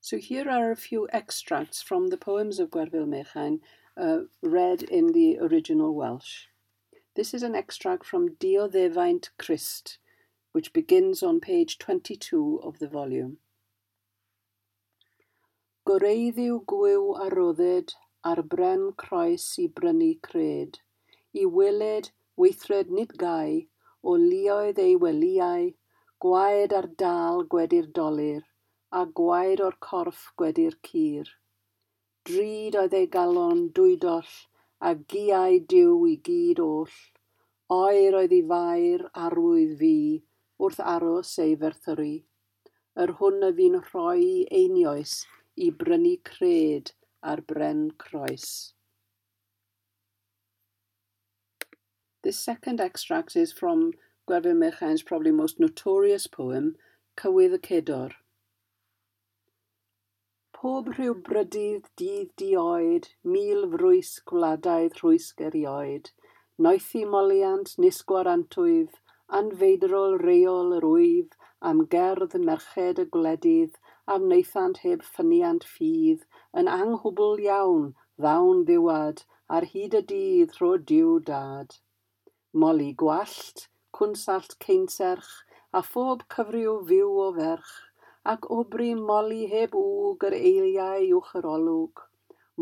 So here are a few extracts from the poems of Gwerful Mechain read in the original Welsh. This is an extract from Dioddefaint Crist, which begins on page 22 of the volume. Goreiddiw gwyw a rodded ar bren croes i brynu cred, i weled weithred nid gau, o luoedd ei welyau, gwaed ar dal gwedi'r dolur, a gwaed o'r corff gwedi'r cur. Drud oedd ei galon dwydoll, a giau Duw i gyd oll. Oer oedd ei fair arwydd fu wrth aros ei ferthyru. Yr hwn a fu'n rhoi einioes i brynu cred ar bren croes. This second extract is from Gwerful Mechain's probably most notorious poem, Cywydd y Cedor. Pob rhyw brydydd dydd dioed, mil frwys gwladaidd rhwysg erioed, noethi moliant nis gwarantwyf, anfeidrol reol yr wyf, am gerdd merched y gwledydd, a wnaethant heb ffyniant ffydd, yn anghwbl iawn, ddawn ddiwad, ar hyd y dydd rho Duw dad. Moli gwallt, cwnsallt ceinserch, a phob cyfryw fyw o ferch, ac obry moli heb wg yr eiliau uwch yr olwg.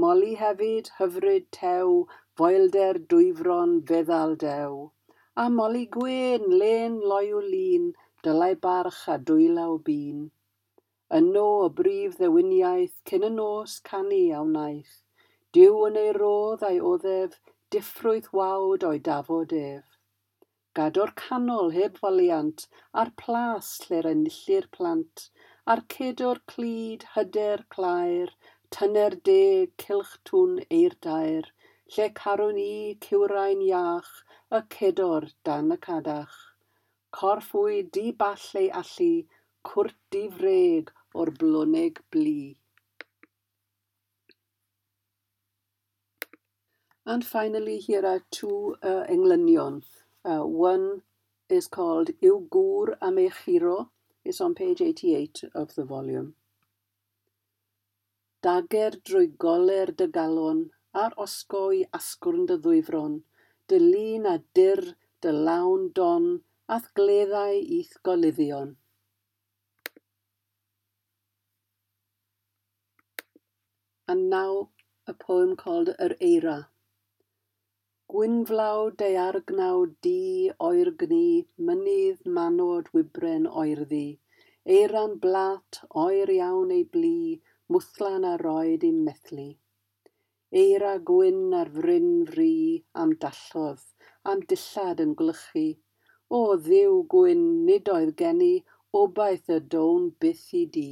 Moli hefyd, hyfryd tew, foelder dwyfron feddal dew. A moli gwên, lên loyw lun, dylai barch a dwylaw bun. Yno o brif ddewiniaeth cyn y nos canu a wnaeth. Duw yn ei rodd a'i oddef, diffrwyth wawd o'i dafod ef. Gadw'r canol heb foliant, a'r plas lle'r enillir plant, a'r cedwr clyd, hyder claer, tyner deg, cylch twn eirdair, lle carwn i, cywrain iach, y cedor dan y cadach. Corff wy di ball ei allu, cwrt difreg o'r bloneg blu. And finally, here are two englynion. One is called Yw Gŵr am ei Churo. It's on page 88 of the volume. Dager drwy goler dy galon, a'r osgoi asgwrn dy ddwyfron, dy lun a dyr dy lawn don, a'th gleddau i'th goluddion. And now a poem called Yr Eira. Gwynflaw daeargnaw du oergnu, mynydd manod wybren oerddi, eiran blat oer iawn ei blu, mwthlan a roed i'm methlu. Eira gwyn ar fryn fri, am dallodd, am dillad yn gwlychu. O Dduw gwyn, nid oedd gen i obaith y down byth i di.